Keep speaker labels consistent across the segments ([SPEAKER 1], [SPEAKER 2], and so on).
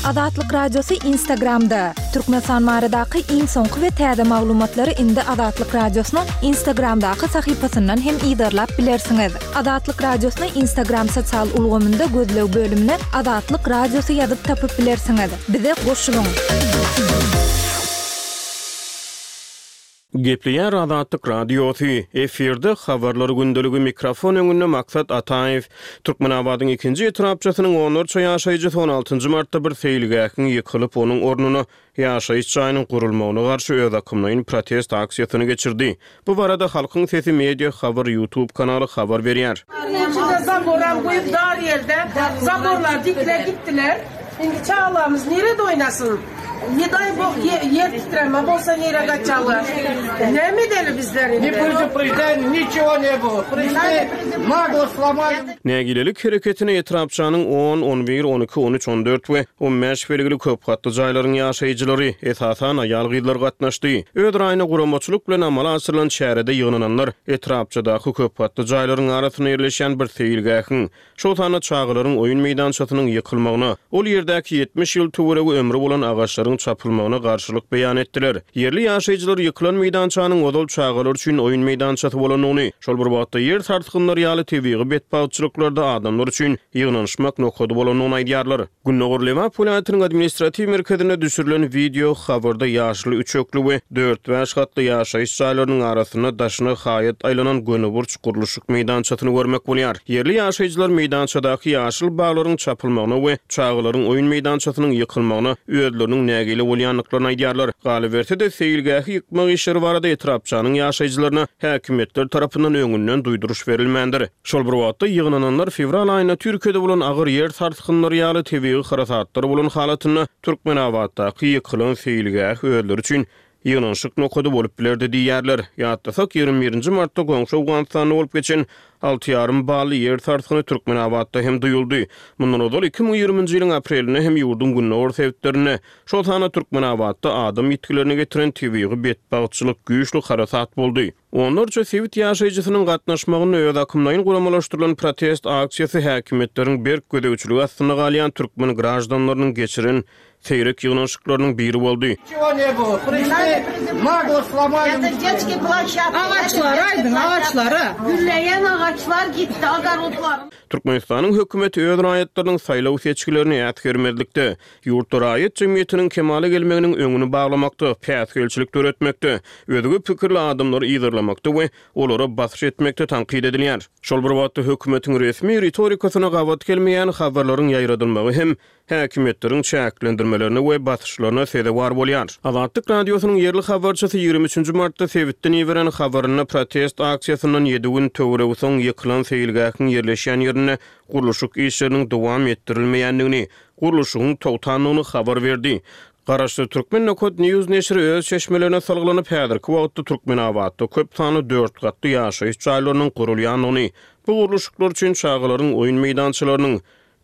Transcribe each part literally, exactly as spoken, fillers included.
[SPEAKER 1] Azatlyk Radiosy Instagramda. Türkmenistan baradaky iň soňky we täze maglumatlary indi Azatlyk Radiosynyň Instagramdaky sahypasyndan hem yzarlap bilersiňiz. Azatlyk Radiosyny Instagram sosial ulgamynda gözleg bölümine Azatlyk Radiosy ýazyp tapyp bilersiňiz. Bize goşulyň.
[SPEAKER 2] Gepleýär Azatlyk Radiosy. Efirde habarlar gündeligi, mikrofon öňünde Maksat Ataýew. Türkmenabadyň ikinji etrapçasynyň onlarça ýaşaýjysy on altynjy martda bir seýilgähiň ýykylyp, onuň ornuna ýaşaýyş jaýynyň gurulmagyna garşy özakymlaýyn protest aksiýasyny geçirdi. Bu barada Halkyň Sesi media habar YouTube kanaly habar berýär.
[SPEAKER 3] Içinde zaboram goýup dar ýerde zaborlar dikle gitdiler. Indi çagalarymyz nirede oýnasyn? Ne daý bok ýer titreme bolsa nire gaçarlar? Näme edeli bizler indi?
[SPEAKER 4] Ne предупреждение, ничего не было. Пришли, нагло сломали.
[SPEAKER 2] Nägilelik hereketine etrapçanyň on, on bir, on iki, on üç, on dört we on bäş belgili köp gatly jaýlaryň ýaşaýjylary, esasan aýal-gyzlar gatnaşdy. Öz raýyna guramaçylyk bilen amala aşyrylan çärede ýygnananlar etrapçadaky köp gatly jaýlaryň arasynda ýerleşen bir seýilgähiň, şol sanda çagalaryň oýun meýdançasynyň ýykylmagyna, ol ýerdäki ýetmiş ýyl töweregi ömri bolan agaçlaryň çapylmagyna garşylyk beýan etdiler. Ýerli ýaşaýjylar ýykylan meýdançanyň ozal çagalar üçin oýun meýdançasy bolandygyny, şol bir wagtda ýer sarsgynlary ýaly tebigy betbagtçylyklarda adamlar üçin ýygnanyşmak nokady bolandygyny aýdýarlar. Gündogar Lebap welaýatynyň administratiw merkezinde düşürilen wideo habarda ýaşly üçekli we dört-bäş gatly ýaşaýyş jaýlarynyň arasynda daşyna haýat aýlanan gönüburç gurluşyk meýdançasyny görmek bolýar. Ýerli ýaşaýjylar meýdançadaky ýaşyl baglaryň çapylmagyna we çagalaryň oýun meýdançasynyň ýykylmagyna özleriniň nägile bolýandyklaryny aýdýarlar. Galyberse-de seýilgähi ýykmak işleri barada etrapçanyň ýaşaýjylaryna häkimiýetler tarapyndan öňünden duýduryş berilmändir. Şol bir wagtda ýygnananlar fewral aýynda Türkiýede bolan agyr ýer sarsgynlary ýaly tebigy harasatlar bolan halatynda Türkmenabatdaky ýykylan seýilgäh özleri üçin ýygnanyşyk nokady bolup bilerdi diýýärler. Ýatlasak, ýigrimi birinji martda goňşy Owganystanda bolup geçen alty ýarym bally ýer sarsgyny Türkmenabatda hem duýuldy. Mundan ozal iki müň ýigriminji ýylyň aprelinde hem ýurduň gündogar sebitlerinde, şol sanda Türkmenabatda adam ýitgilerini getiren tebigy betbagtçylyk güýçli harasat boldy. Onlarça sebit ýaşaýjysynyň gatnaşmagynda öz akymlaýyn guramalaşdyrylan protest aksiýasy häkimiýetleriň berk gözegçiligi astynda galýan türkmen graždanlarynyň geçiren seýrek ýygnanyşyklarynyň biri boldy.
[SPEAKER 4] Ничего не было. Пришли, нагло сломали.
[SPEAKER 5] Это детские площадки.
[SPEAKER 3] Agaçlar aýdyň, agaçlara.
[SPEAKER 5] Gülleýän agaçlar gitdi, agaçlar.
[SPEAKER 2] Türkmenistanyň hökümeti öz raýatlarynyň saýlaw seçgilerini äsgermezlikde, ýurtda raýat jemgyýetiniň kemala gelmeginiň öňüni baglamakda, päsgelçilik döretmekde, özge pikirli adamlary yzarlamakda we olara basyş etmekde tankyt edilýär. Şol bir wagtda hökümetiň resmi ritorikasyna gabat gelmeýän habarlaryň ýaýradylmagy hem häkimiýetleriň çäklendirmelerine we basyşlaryna sezewar bolýar. Azatlyk Radiosynyň ýerli habarçysy ýigrimi üçünji martda sebitden iberen habarynda protest aksiýasyndan ýedi gün töweregi soň ýykylan seýilgähiň ýerleşýän ýerinde gurluşyk işleriniň dowam etdirilmeýändigini, gurluşygyň togtandygyny habar berdi. Garaşsyz Türkmen Nokat News neşiri öz çeşmelerine salgylanyp, häzirki wagtda Türkmenabatda köp sanly dört gatly ýaşaýyş jaýlarynyň gurulýandygyny, bu gurluşyklar üçin çagalaryň oýun meýdançalarynyň,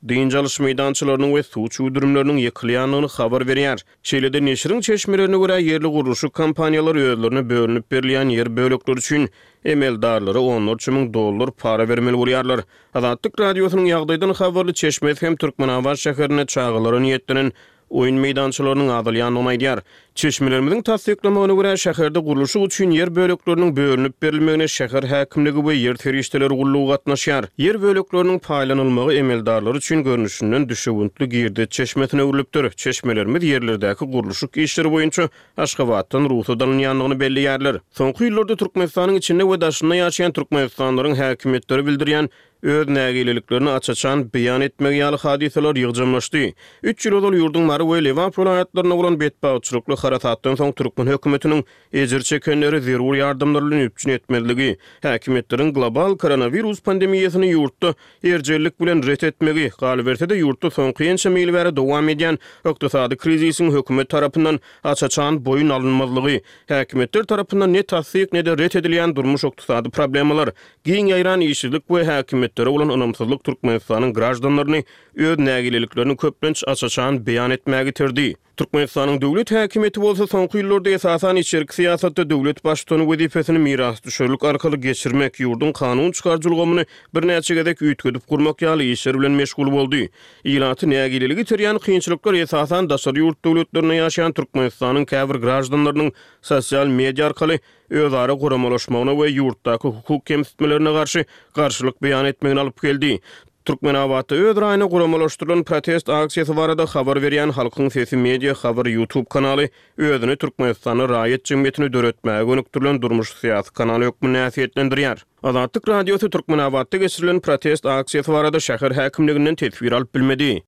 [SPEAKER 2] dynç alyş meýdançalarynyň we suw çüwdürimleriniň ýykylýandygyny habar berýär. Şeýle-de neşiriň çeşmelerine görä ýerli gurluşyk kompaniýalary özlerine bölünip berilýän ýer bölekleri üçin emeldarlara onlarça müň dollar para bermeli bolýarlar. Azatlyk Radiosynyň ýagdaýdan habarly çeşmesi hem Türkmenabat şäherinde çagalara niýetlenen oýun meýdançalarynyň azalýandygyny aýdýar. Çeşmelerimiziň tassyklamagyna görä şäherde gurluşyk üçin ýer bölekleriniň bölünip berilmegine şäher häkimligi we ýer serişdeleri gullugy gatnaşýar. Ýer bölekleriniň paýlanylmagy emeldarlar üçin görnüşinden düşewüntli girdeç çeşmesine öwrülipdir. Çeşmelerimiz ýerlerdäki gurluşyk işleri boýunça Aşgabatdan rugsat alynýandygyny belleýärler. Soňky ýyllarda Türkmenistanyň içinde we daşynda ýaşaýan Türkmenistanlylaryň häkimiýetleri bildirýän öz nägileliklerini aç-açan beýan etmegi ýaly hadysalar ýygjamlaşdy. Üç ýyl ozal ýurduň Mary we Lebap welaýatlarynda bolan betbagtçylykly harasatdan soň türkmen hökümetiniň ejir çekenleri zerur ýardamlar bilen üpjün etmezligi, häkimiýetleriň global koronawirus pandemiýasyny ýurtda erjellik bilen ret etmegi, galyberse-de ýurtda soňky ençeme ýyl bäri dowam edýän ykdysady krizisiň hökümet tarapyndan aç-açan boýun alynmazlygy, häkimiýetler tarapyndan ne tassyk ne-de ret edilýän durmuş ykdysady problemalar, giň ýaýran işsizlik we häkimiýetlere bolan ynamsyzlyk Türkmenistanyň graždanlaryny öz nägileliklerini köplenç aç-açan beýan etmäge iterdi. Türkmenistanyň döwlet häkimiýeti bolsa soňky ýyllarda esasan içerki syýasatda döwlet baştutany wezipesini mirasdüşerlik arkaly geçirmek, ýurduň kanun çykaryjy ulgamyny birnäçe gezek üýtgedip gurmak ýaly işler bilen meşgul boldy. Ilaty nägilelige iterýän kynçylyklar esasan daşary ýurt döwletlerinde ýaşaýan Türkmenistanyň käbir graždanlarynyň sosial media arkaly özara guramalaşmagyna we ýurtdaky hukuk kemsitmelerine garşy garşylyk beýan etmegine alyp geldi. Türkmenabatda öz raýyna guramalaşdyrylan protest aksiýasy barada habar berýän Halkyň Sesi media habar YouTube kanaly özüni Türkmenistanda raýat jemgyýetini döretmäge gönükdirilen durmuş syýasy kanaly hökmünde häsiýetlendirýär. Azatlyk Radiosy Türkmenabatda geçirilen protest aksiýasy barada şäher häkimliginden teswir alyp bilmedi.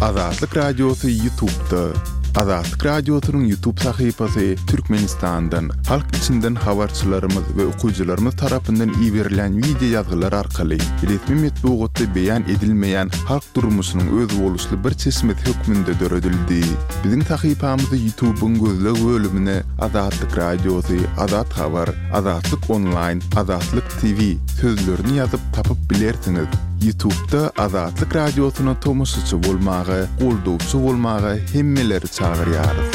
[SPEAKER 6] Azatlyk Radiosy YouTube'da. Azatlyk Radiosynyň YouTube sahypasy Türkmenistandan, halk içinden habarçylarymyz we okyjylarymyz tarapyndan iberilen wideo ýazgylar arkaly resmi metbugatda beýan edilmeýän halk durmuşynyň özboluşly bir çeşmesi hökmünde döredildi. Biziň sahypamyzy YouTube'yň gözleg bölümine Azatlyk Radiosy, Azat Habar, Azatlyk Online, Azatlyk T V sözlerini ýazyp tapyp bilersiňiz. YouTube'da Azatlyk Radiosyna tomaşaçy bolmaga, goldawçy bolmaga hemmeleri çagyrýarys.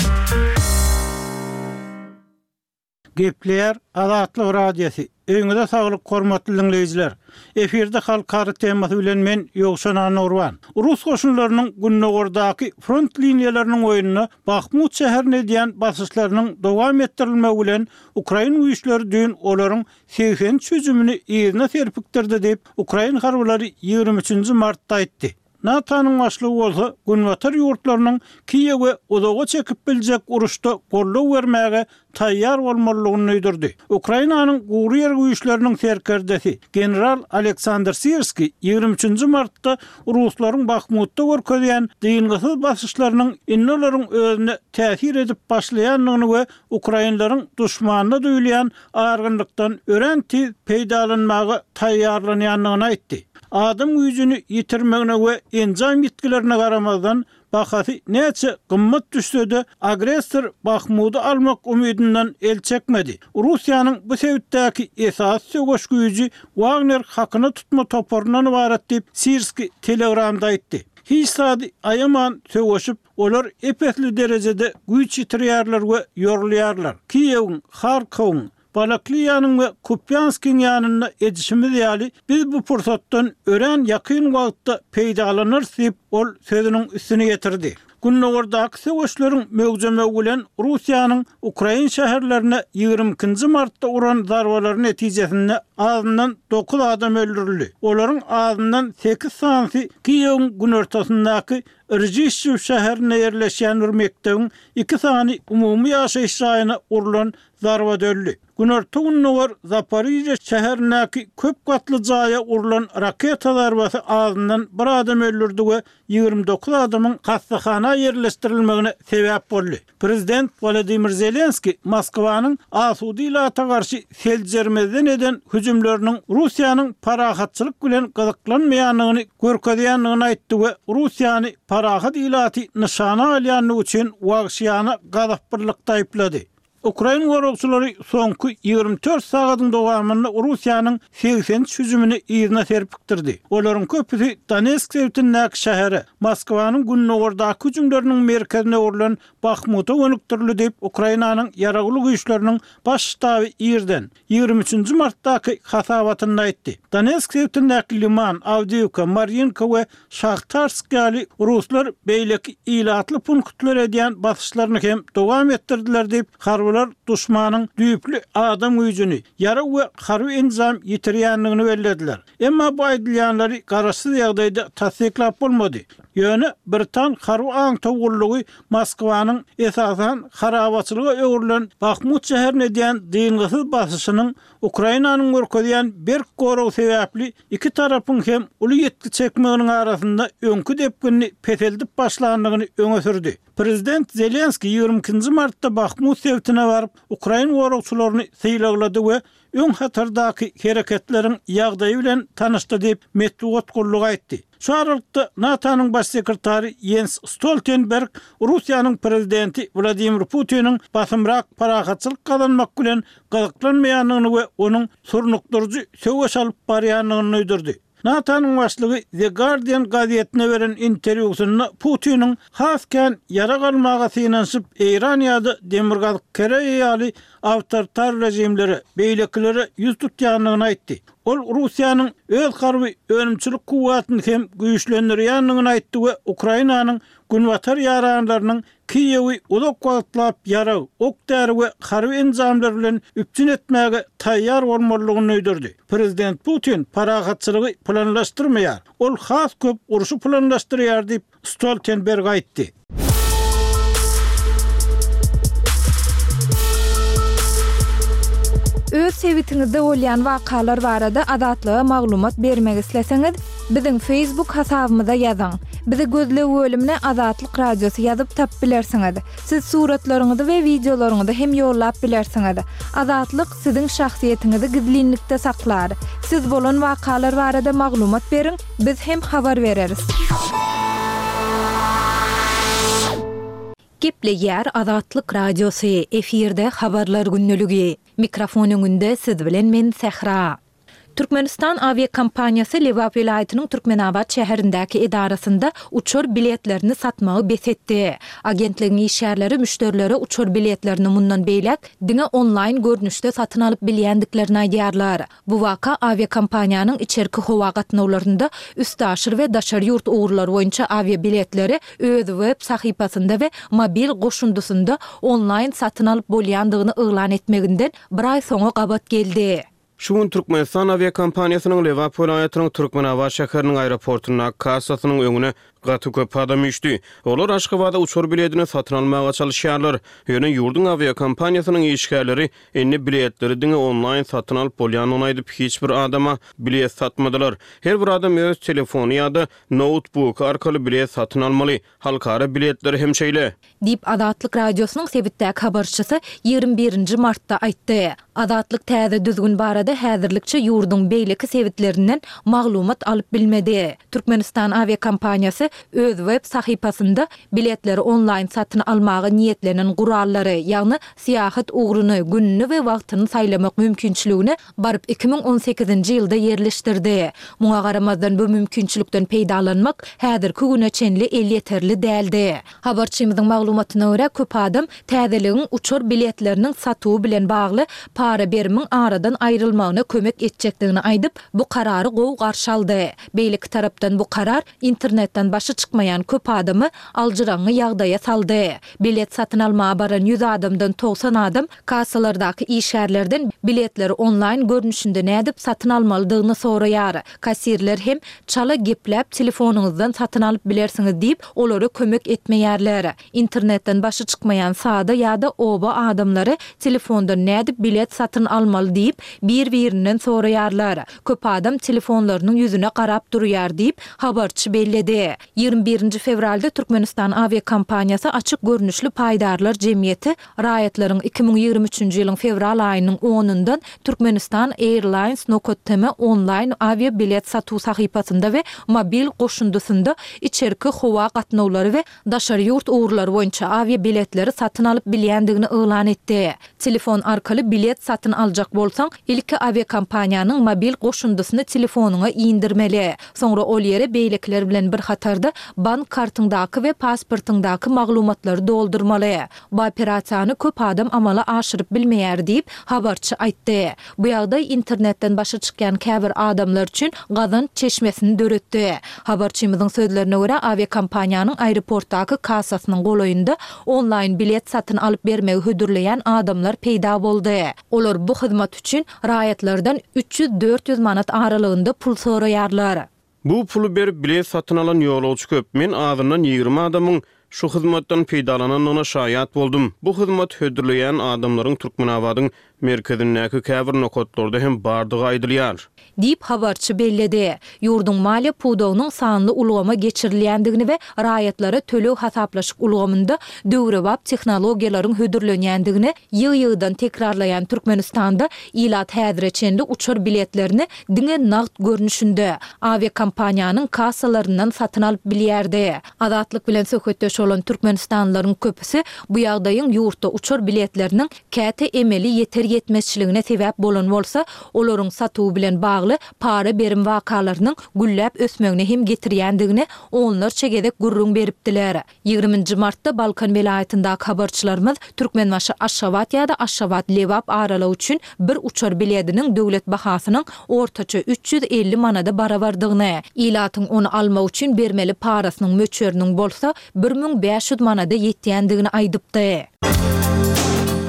[SPEAKER 7] Gepleýär Azatlyk Radiosy. Öýüňize saglyk hormatly dinleýjiler. Efirde halkara temasy bilen men Ýowşan Anurban. Rus goşunlarynyň Gündogardaky front liniýalarynyň oýnuna Bahmut şäherine edýän basyşlarynyň dowam etdirilmegi bilen Ukrain güýçleri düýn olaryň segsen üç hüjümini yzyna serpikdirdi diýip, Ukrain harbylary ýigrimi üçünji martda aýtdy. NATO-nyň başlygy bolsa Günbatar ýurtlarynyň Kiýewe uzaga çekip biljek uruşda goldaw bermäge taýýar bolmalydygyny duýdurdy. Ukrainanyň gury ýer güýçleriniň serkerdesi general Aleksandr Sirski ýigrimi üçünji martda Ruslaryň Bahmutda görkezýän dyngysyz basyşlarynyň indi olaryň özüne täsir edip başlaýandygyny we Ukrainlaryň duşmanyna duýulýan argynlykdan örän tiz peýdalanmaga taýýarlanýandygyny aýtdy. Adam güýjüni ýitirmegine we enjam ýitgilerine garamazdan bahasy näçe gymmat düşse-de agressor Bahmudy almak umydydan el çekmedi. Russiýanyň bu sebitdäki esasy söweş güýji Wagner hakyna tutma toparyndan ibarat diýip Sirski Telegramda aýtdy. Hiç zady aýaman söweşip, olar epesli derejede güýç ýitirýärler we ýorulýarlar. Kiýewiň, Harkowyň, Balakliýanyň we Kupýanskiň ýanynda edişimiz ýaly biz bu pursatdan örän ýakyn wagtda peýdalanarys diýip ol sözüniň üstüne getirdi. Gündogardaky söweşleriň möwjemegi bilen Russiýanyň Ukrain şäherlerine ýigrimi ikinji martda uran zarbalary netijesinde azyndan dokuz adam öldürildi. Olaryň azyndan sekiz sanysy Kiýewiň günortasyndaky Rjişçew şäherinde ýerleşýän bir mekdebiň iki sany umumy ýaşaýyş jaýyna urulan zarba döldi. Günorta Gündogar Zaporijye şäherindäki köp gatly jaýa urulan raketa zarbasy azyndan bir adam öldürdi we ýigrimi dokuz adamyň hastahana ýerleşdirilmegine sebäp boldy. Prezident Wladimir Zelenski Moskwanyň asuda ilata garşy seljermezden eden hüjümleriniň Russiýanyň parahatçylyk bilen gyzyklanmaýandygyny görkezýändigini aýtdy we Russiýany parahat ilaty nyşana alýandygy üçin wagşyýana gazapbyrlykda aýyplady. Ukrain goragçylary soňky ýigrimi dört sagatyň dowamynda Russiýanyň segsen üç hüjümini yzyna serpikdirdi. Olaryň köpüsi Donetsk sebitindäki şähere, Moskwanyň Gündogardaky hüjümleriniň merkezine öwrülen Bahmuta gönükdirildi diýip, Ukrainanyň ýaragly güýçleriniň baş ştaby irden ýigrimi üçünji martdaky hasabatynda aýtdy. Donetsk sebitindäki Liman, Awdiýewka, Maryinka we Şahtarsk ýaly ruslar beýleki ilatly punktlar edýän basyşlaryny hem dowam etdirdiler diýip, harbylar duşmanyň düýpli adam güýjüni, ýarag we harby enjam ýitirýändigini bellediler. Emma bu aýdylýanlary garaşsyz ýagdaýda tassyklap bolmady. Ýöne Britan harby aňtaw gullugy Moskwanyň esasan harabaçylyga öwrülen Bahmut şäherine edýän dyngysyz basyşynyň Ukrainanyň görkezýän berk gorag sebäpli iki tarapyň hem uly ýetki çekmeginiň arasynda öňki depginini peseldip başlandygyny öňe sürdi. Prezident Zelenski ýigrimi ikinji martda Bahmut sebitine baryp, Ukrain goragçylaryny sylaglady we öň hatardaky hereketleriň ýagdaýy bilen tanyşdy diýip metbugat gullugy aýtdy. Şu aralykda NATO-nyň baş sekretary Jens Stoltenberg Russiýanyň prezidenti Wladimir Putiniň basymrak parahatçylyk gazanmak bilen gyzyklanmaýandygyny we onuň surnukdyryjy söweş alyp barýandygyny duýdurdy. NATO-nyň başlygy The Guardian gazetine beren interwýusynda Putiniň has kän ýarag almaga synanyşyp, Eýran ýa-da Demirgazyk Koreýa ýaly awtoritar režimlere, beýlekilere ýüz tutýandygyny aýtdy. Ol Russiýanyň öz harby önümçilik kuwwatyny hem güýçlendirýändigini aýtdy we Ukrainanyň günbatar ýaranlarynyň Kiýewi uzak wagtlap ýarag, ok-däri we harby enjamlar bilen üpjün etmäge taýýar bolmalydygyny duýdurdy. Prezident Putin parahatçylygy planlaşdyrmaýar. Ol has köp urşy planlaşdyrýar diýip, Stoltenberg aýtdy.
[SPEAKER 1] Öz sebitiňizde bolýan wakalar barada Azatlyga maglumat bermek isleseňiz, biziň Facebook hasabymyza ýazyň. Bizi gözleg bölümine Azatlyk Radiosy ýazyp tapyp bilersiňiz. Siz suratlaryňyzy we wideolaryňyzy hem ýollap bilersiňiz. Azatlyk siziň şahsyýetiňizi gizlinlikde saklar. Siz bolan wakalar barada maglumat beriň, biz hem habar bereris.
[SPEAKER 8] Gepleýär Azatlyk Radiosy, efirde habarlar gündeligi. Mikrofon öňünde siz bilen men Sähra. Türkmenistan awiakompaniýasy Lebap welaýatynyň Türkmenabat şäherindäki edarasynda uçar biletlerini satmagy bes etdi. Agentligiň işgärleri müşderilere uçar biletlerini mundan beýläk diňe onlaýn görnüşde satyn alyp bilýändiklerini aýdýarlar. Bu waka awiakompaniýanyň içerki howa gatnawlarynda üstaşyr we daşary ýurt ugurlary boýunça awiabiletleri öz web sahypasynda we mobil goşundysynda onlaýn satyn alyp bolýandygyny yglan etmeginden bir aý soňa gabat geldi.
[SPEAKER 2] Şu gün Türkmenistan awiakompaniýasynyň Lebap welaýatynyň Türkmenabat şäheriniň aeroportundaky kassasynyň öňüne gaty köp adam üýşdi. Olar Aşgabada uçar biletini satyn almaga çalyşýarlar. Ýöne ýurduň awiakompaniýasynyň işgärleri indi biletleri diňe onlaýn satyn alyp bolýandygyny aýdyp, hiç bir adama bilet satmadylar. Her bir adam öz telefony ýa-da noutbuky arkaly bilet satyn almaly. Halkara biletleri hem şeýle.
[SPEAKER 8] Diýip, Azatlyk Radiosynyň sebitdäki habarçysy ýigrimi birinji martda aýtdy. Azatlyk täze düzgün barada häzirlikçe ýurduň beýleki sebitlerinden maglumat alyp bilmedi. Türkmenistan awiakompaniýasy öz web sahypasynda biletleri onlaýn satyn almaga niýetlenen gurallary, ýagny syýahat ugruny, gününi we wagtyny saýlamak mümkinçiligini baryp iki müň on sekizinji ýylda ýerleşdirdi. Muňa garamazdan bu mümkinçilikden peýdalanmak häzirki güne çenli elýeterli däldi. Habarçymyzyň maglumatyna görä, köp adam täzeligiň uçar biletleriniň satuwy bilen bagly para berimiň aradan aýrylmagyna kömek etjekdigini aýdyp, bu karary gowy garşy aldy. Beýleki tarapdan bu karar internetden başy çykmaýan köp adamy aljyraňňy ýagdaýa saldy. Bilet satyn almaga baran ýüz adamdan togsan adam kassalardaky işgärlerden biletleri onlaýn görnüşinde nädip satyn almalydygyny soraýar. Kassirler hem çala gepläp telefonyňyzdan satyn alyp bilersiňiz diýip, olara kömek etmeýärler. Internetden başy çykmaýan sada ýa-da oba adamlary telefondan nädip bilet satyn almaly diýip, bir-birinden soraýarlar. Köp adam telefonlarynyň ýüzüne garap durýar diýip, habarçy belledi. Ýigrimi birinji fewralda Türkmenistan awiakompaniýasy açyk görnüşli paýdarlar jemgyýeti raýatlaryň iki müň ýigrimi üçünji ýylyň fewral aýynyň onundan Türkmenistan Airlines nokat tm onlaýn awiabilet satuw sahypasynda we mobil goşundysynda içerki howa gatnawlary we daşary ýurt ugurlary boýunça awiabiletleri satyn alyp bilýändigini yglan etdi. Telefon arkaly bilet satyn aljak bolsaň, ilki awiakompaniýanyň mobil goşundysyny telefonyňa indirmeli. Soňra ol ýere beýlekiler bilen bir hatarda bank kartyňdaky we pasportyňdaky maglumatlary doldurmaly. Bu operasiýany köp adam amala aşyryp bilmeýär diýip, habarçy aýtdy. Bu ýagdaý internetden başy çykýan käbir adamlar üçin gazanç çeşmesini döretdi. Habarçymyzyň sözlerine görä, awiakompaniýanyň aeroportdaky kassasynyň golaýynda onlaýn bilet satyn alyp bermegi hödürleýän adamlar peýda boldy. Olar bu hyzmat üçin raýatlardan üç ýüz-dört ýüz manat aralygynda pul soraýarlar.
[SPEAKER 2] Bu puly berip bilet satyn alan ýolagçy köp. Men azyndan ýigrimi adamyň şu hyzmatdan peýdalanandygyna şaýat boldum. Bu hyzmat hödürleýän adamlaryň Türkmenabadyň merkezindäki käbir nokatlarda hem bardygy aýdylýar.
[SPEAKER 8] Diýip habarçy belledi. Ýurduň maliýe pudagynyň sanly ulgama geçirilýändigini we raýatlara töleg hasaplaşyk ulgamynda döwrebap tehnologiýalaryň hödürlenýändigini ýygy-ýygydan tekrarlaýan Türkmenistanda ilat häzire çenli uçar biletlerini diňe nagt görnüşinde awiakompaniýanyň kassalaryndan satyn alyp bilýärdi. Azatlyk bilen söhbetdeş bolan türkmenistanlylaryň köpüsi bu ýagdaýyň ýurtda uçar biletleriniň käte emeli ýeter ýetmezçiligine sebäp bolan bolsa, olaryň satuwy bilen bagly para-berim wakalarynyň gülläp ösmegine hem getirýändigini onlarça gezek gürrüň beripdiler. Ýigrimi nji martda Balkan welaýatyndaky habarçylarymyz Türkmenbaşy-Aşgabat ýa-da Aşgabat-Lebap aralygy üçin bir uçar bilediniň döwlet bahasynyň ortaça üç ýüz elli manada barabardygyny, ilatyň ony almak üçin bermeli parasynyň möçberiniň bolsa bir müň bäş ýüz manada ýetýändigini aýdypdy.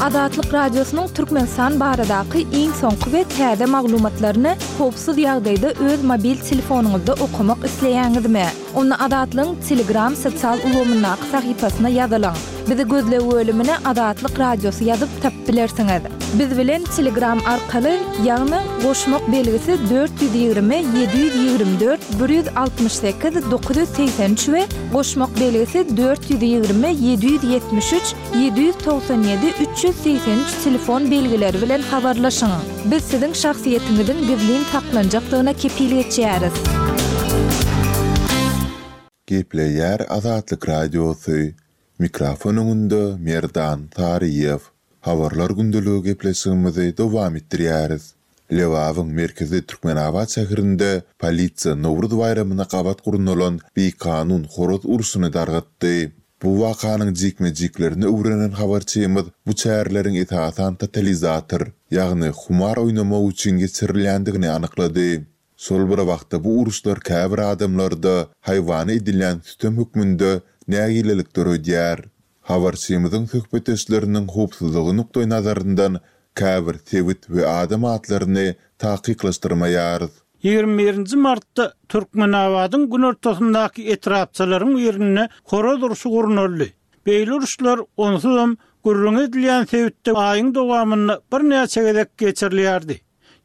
[SPEAKER 1] Azatlyk Radiosynyň Türkmenistan baradaky iň soňky we täze maglumatlaryny howpsuz ýagdaýda öz mobil telefonyňyzda okamak isleýäňizmi? Onda Azatlygyň Telegram sosial ulgamyndaky sahypasyna ýazylyň. Bizi gözleg bölümine Azatlyk Radiosy ýazyp tapyp bilersiňiz. Biz bilen Telegram arkaly, ýagny goşmak belgisi dört ýüz ýigrimi ýedi ýüz ýigrimi dört bir ýüz altmyş sekiz dokuz ýüz segsen üç we goşmak belgisi dört ýüz ýigrimi ýedi ýüz ýetmiş üç ýedi ýüz togsan ýedi üç ýüz segsen üç telefon belgileri bilen habarlaşyň. Biz siziň şahsyýetiňiziň gizlin saklanjakdygyna kepil geçýäris.
[SPEAKER 6] Gepleýär Azatlyk Radiosy, Mikrofon öňünde Merdan Saryýew. Habarlar gündeligi gepleşigimizi dowam etdirýäris. Lebabyň merkezi Türkmenabat şäherinde polisiýa Nowruz baýramyna gabat gurnalan bikanun horaz urşuny dargatdy. Bu wakanyň jikme-jiklerini öwrenen habarçymyz bu çäreleriň esasan totalizator, ýagny humar oýnamak üçin geçirilýändigini anyklady. Şol bir wagtda bu uruşlar käbir adamlarda haýwana edilýän sütem hökmünde nägilelik döredýär. Habarçymyzyň söhbetdeşleriniň howpsuzlygy nukdaýnazaryndan käbir sebit we adam atlaryny takyklaşdyrmaýarys.
[SPEAKER 7] Ýigrimi birinji martda Türkmenabadyň günortasyndaky etrapçalaryň birinde horaz urşy gurnaldy. Beýle uruşlar onsuzam gürrüňi edilýän sebitde aýyň dowamynda birnäçe gezek geçirilýärdi.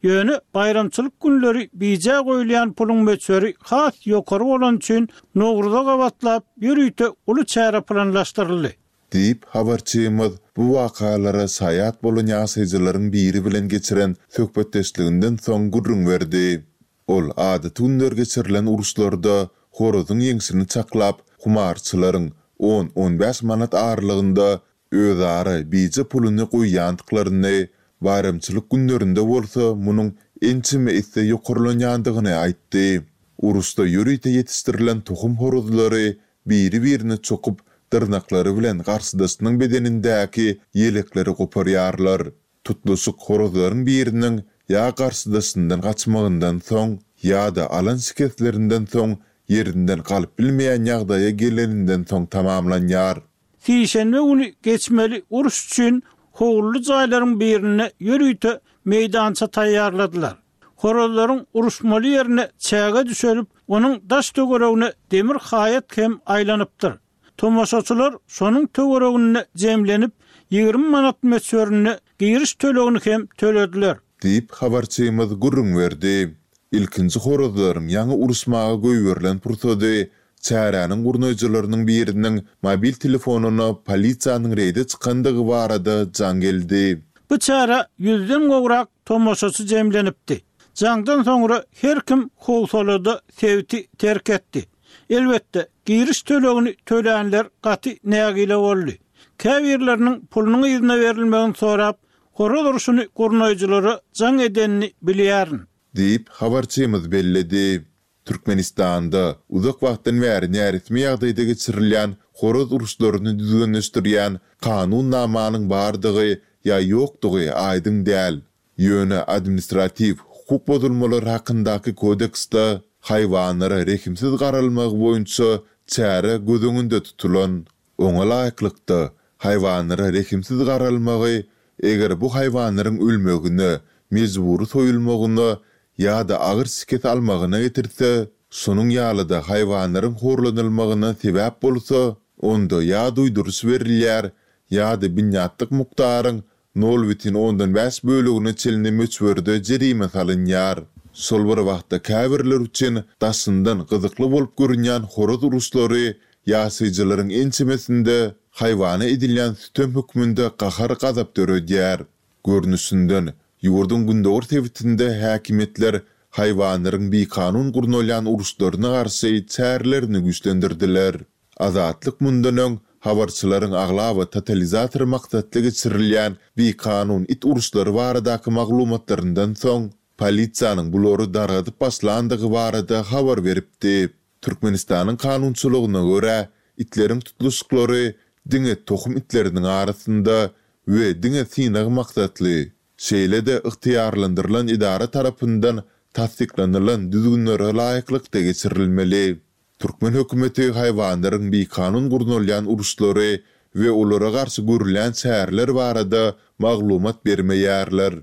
[SPEAKER 7] Ýöne baýramçylyk günleri bijä goýulýan puluň möçberi has ýokary bolany üçin Nowruza gabatlap ýörite uly çäre planlaşdyryldy.
[SPEAKER 6] Diýip, habarçymyz bu wakalara şaýat bolan ýaşaýjylaryň biri bilen geçiren söhbetdeşliginden soň gürrüň berdi. Ol adaty günler geçirilen uruşlarda horazyň ýeňşini çaklap, humarçylaryň on-on bäş manat aralygynda özara bije puluny goýýandyklaryny, baýramçylyk günlerinde bolsa munuň ençeme esse ýokarlanýandygyny aýtdy. Uruşda ýörite ýetişdirilen tohum horazlary biri-birine çokup, dyrnaklary bilen garşydaşynyň bedenindäki ýelekleri goparýarlar. Tutluşyk horazlaryň biriniň ýa garşydaşyndan gaçmagyndan soň, ýa-da alan şikeslerinden soň ýerinden galyp bilmeýän ýagdaýa geleninden soň tamamlanýar.
[SPEAKER 7] Sişenbe güni geçmeli uruş üçin howully jaýlaryň birinde ýörite meýdança taýýarladylar. Horazlaryň uruşmaly ýerine çäge düşelip, onuň daş töweregine demir haýat hem aýlanypdyr. Tomaşaçylar şonuň töwereginde jemlenip, ýigrimi manat möçberinde giriş tölegini hem tölediler.
[SPEAKER 6] Diýip, habarçymyz gürrüň berdi. Ilkinji horazlaryň ýaňy uruşmaga goýberilen pursady çäräniň gurnaýjylarynyň biriniň mobil telefonyna polisiýanyň reýde çykandygy barada jaň geldi.
[SPEAKER 7] Bu çärä ýüzden gowrak tomaşaçy jemlenipdi. Jaňdan soňra her kim howsalada sebiti terk etdi. Elbetde, giriş tölegini tölänler gaty nägile boldy. Käbirleriniň pulunyň yzyna berilmegini sorap, horaz urşuny gurnaýjylara jaň edenini bilýärin.
[SPEAKER 6] Diýip, habarçymyz belledi. Türkmenistanda uzak wagtdan bäri näresmi ýagdaýda geçirilýän horaz uruşlaryny düzgünleşdirýän kanunnamanyň bardygy ýa ýokdugy aýdyň däl. Ýöne administratiw hukuk bozulmalary hakyndaky kodeksde haýwanlara rehimsiz garalmagy boýunça çäre göz öňünde tutulan. Oňa laýyklykda, haýwanlara rehimsiz garalmagy, eger bu haýwanlaryň ölmegine, mejbury soýulmagyna ýa-da agyr şikes almagyna getirse, şonuň ýaly-da haýwanlaryň horlanylmagyna sebäp bolsa, onda ýa duýduryş berilýär, ýa-da binýatlyk mukdaryň nol bütin ondan bäş bölegine çenli möçberde jerime salynýar. Şol bir wagtda käbirler üçin daşyndan gyzykly bolup görünýän horaz uruşlary ýaşaýjylaryň ençemesinde haýwana edilýän sütem hökmünde gahar-gazap döredýär. Görnüşinden, ýurduň gündogar sebitinde häkimiýetler haýwanlaryň bikanun gurnalýan uruşlaryna garşy çärelerini güýçlendirdiler. Azatlyk mundan öň habarçylaryň aglaba totalizator maksatly geçirilýän bikanun it uruşlary baradaky maglumatlaryndan soň, polisiýanyň bulary dargadyp başlandygy barada habar beripdi. Türkmenistanyň kanunçylygyna görä, itleriň tutluşyklary diňe tohum itleriniň arasynda we diňe synag maksatly, şeýle-de ygtyýarlandyrylan edara tarapyndan tassyklanylan düzgünlere laýyklykda geçirilmeli. Türkmen hökümeti haýwanlaryň bikanun gurnalýan uruşlary we olara garşy görülýän çäreler barada maglumat bermeýärler.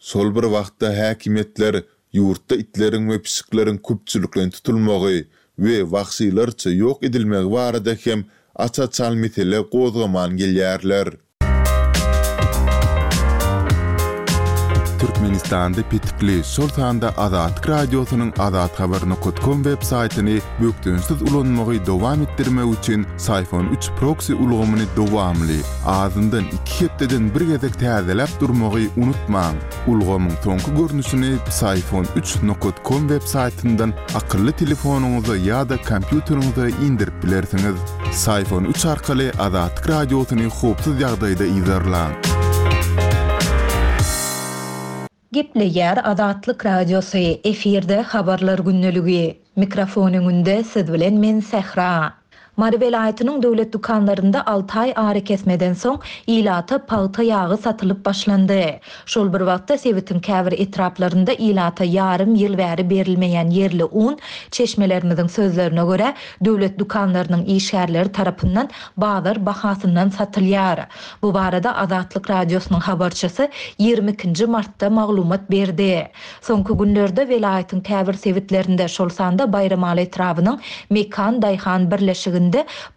[SPEAKER 6] Şol bir wagtda häkimiýetler ýurtda itleriň we pişikleriň köpçülikleýin tutulmagy we wagşylarça ýok edilmegi barada hem aç-açan mesele gozgaman gelýärler. Türkmenistanda petikli, şol sanda Azatlyk Radiosynyň azathabar nokat kom web saýtyny bökdençsiz ulanmagy dowam etdirmek üçin Syfon üç proksi ulgamyny dowamly, azyndan iki hepdeden bir gezek täzeläp durmagy unutmaň. Ulgamyň soňky görnüşini Psiphon üç nokat kom web saýtyndan akylly telefonyňyza ýa-da kompýuteriňize indirip bilersiňiz. Psiphon üç arkaly Azatlyk Radiosyny howpsuz ýagdaýda yzarlaň.
[SPEAKER 1] Gepleýär Azatlyk Radiosy, efirde Habarlar gündeligi. Mikrofon öňünde siz bilen men Sähra. Mary welaýatynyň döwlet dükanlarynda alty aý arakesmeden soň ilata pagta ýagy satylyp başlandy. Şol bir wagtda sebitiň käbir etraplarynda ilata ýarym ýyl bäri berilmeýän ýerli un, çeşmelerimiziň sözlerine görä, döwlet dükanlarynyň işgärleri tarapyndan bazar bahasyndan satylýar. Bu barada Azatlyk Radiosynyň habarçysy ýigrimi ikinji martda maglumat berdi. Soňky günlerde welaýatyň käbir sebitlerinde, şol sanda Baýramaly etrabynyň Mekan daýhan birleşiginde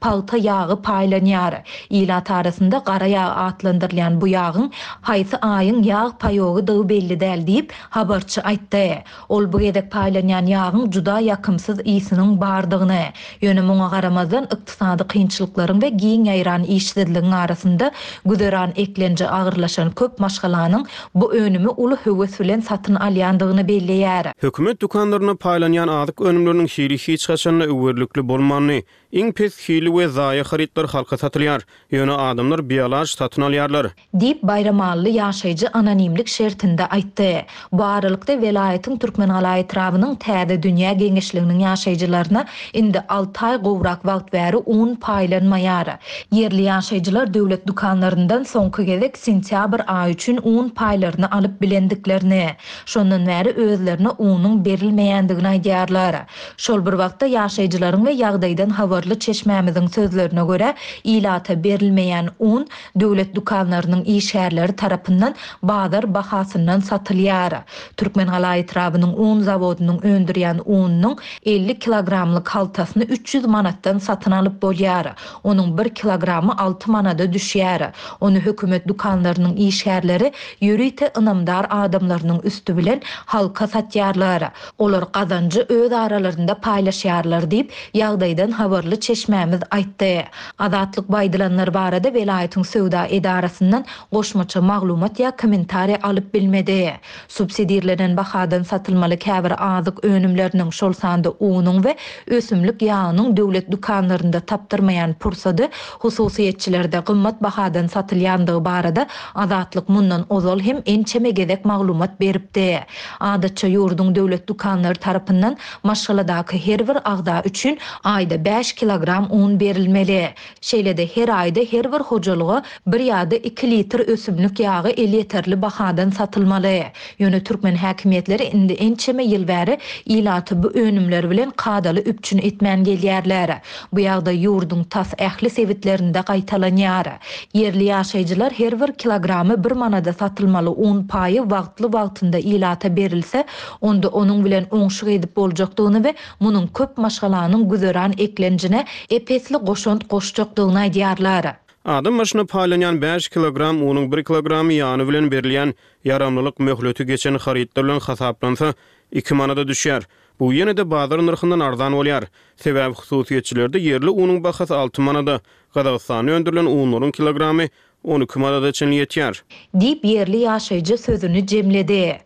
[SPEAKER 1] pagta ýagy paýlanýar. Ilat arasynda gara ýag atlandyrylýan bu ýagyň haýsy aýyň ýag paýogydygy belli däl diýip, habarçy aýtdy. Ol bu gezek paýlanýan ýagyň juda ýakymsyz ysnyň bardygyny, ýöne muňa garamazdan ykdysady kynçylyklaryň we giň ýaýran işsizligiň arasynda güzeran eklenji agyrlaşan köp maşgalanyň bu önümi uly höwes bilen satyn alýandygyny belleýär.
[SPEAKER 2] Hökümet dükanlarynda paýlanýan azyk önümleriniň hili hiç haçanda öwerlikli bolmandy. Iň pes hili we zaýa harytlar halka satylýar. Ýöne adamlar bialaç satyn alýarlar.
[SPEAKER 1] Diýip, Baýramally ýaşaýjy anonimlik şertinde aýtdy. Bu aralykda welaýatyň Türkmengala etrabynyň Täze dünýä geňeşliginiň ýaşaýjylaryna indi alty aý gowrak wagt bäri un paýlanmaýar. Ýerli ýaşaýjylar döwlet dükanlaryndan soňky gezek sentýabr aýy üçin un paýlaryny alyp bilendiklerini, şondan bäri özlerine unuň berilmeýändigini aýdýarlar. Şol bir wagtda ýaşaýjylaryň we ýagdaýdan habarly çeşmämiziň sözlerine görä, ilata berilmeýän un döwlet dükanlarynyň işgärleri tarapyndan bazar bahasyndan satylýar. Türkmengala etrabynyň un zawodynyň öndürýän ununyň elli kilogramlyk haltasyny üç ýüz manatdan satyn alyp bolýar. Onuň bir kilogramy alty manada düşýär. Ony hökümet dükanlarynyň işgärleri ýörite ynamdar adamlarynyň üsti bilen halka satýarlar. Olar gazanjy öz aralarynda paýlaşýarlar diýip, ýagdaýdan habarly çeşmämiz aýtdy. Azatlyk baýdylanlar barada welaýatyň söwda edarasyndan goşmaça maglumat ýa kommentariýa alyp bilmedi. Subsidirlenen bahadan satylmaly käbir azyk önümleriniň, şol sanda unuň we ösümlik ýagynyň döwlet dükanlarynda tapdyrmaýan pursady hususyýetçilerde gymmat bahadan satylýandygy barada Azatlyk mundan ozal hem ençeme gezek maglumat beripdi. Adatça ýurduň döwlet dükanlary tarapyndan maşgaladaky her bir agza üçin aýda bäş kilogram un berilmeli. Şeýle-de her aýda her bir hojalyga bir ýa-da iki litr ösümlik ýagy elýeterli bahadan satylmaly. Ýöne türkmen häkimiýetleri indi ençeme ýyl bäri ilaty bu önümler bilen kadaly üpjün etmän gelýärler. Bu ýagdaý ýurduň tas ähli sebitlerinde gaýtalanýar. Ýerli ýaşaýjylar her bir kilogramy bir manada satylmaly un paýy wagtly-wagtynda ilata berilse, onda onuň bilen oňşuk edip boljakdygyny we munuň köp maşgalanyň güzeran eklenjine epesli goşant goşjakdygyny aýdýarlar.
[SPEAKER 2] Adam başyna paýlanýan bäş kilogram unuň bir kilogramy ýany bilen berilýän ýaramlylyk möhleti geçen harytlar bilen hasaplansa, iki manada düşýär. Bu ýene-de bazar nyrhyndan arzan bolýar. Sebäbi hususyýetçilerde ýerli unuň bahasy alty manada, Gazagystanda öndürilen unlaryň kilogramy on iki manada çenli ýetýär.
[SPEAKER 1] Diýip, ýerli ýaşaýjy sözüni jemledi.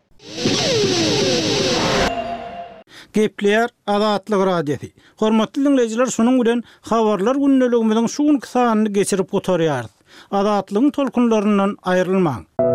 [SPEAKER 7] Gepleýär Azatlyk Radiosy. Hormatly diňleýjiler, şunuň bilen Habarlar gündeligimiziň şu günki sanyny geçirip gutarýarys. Azatlygyň tolkunlaryndan aýrylmaň!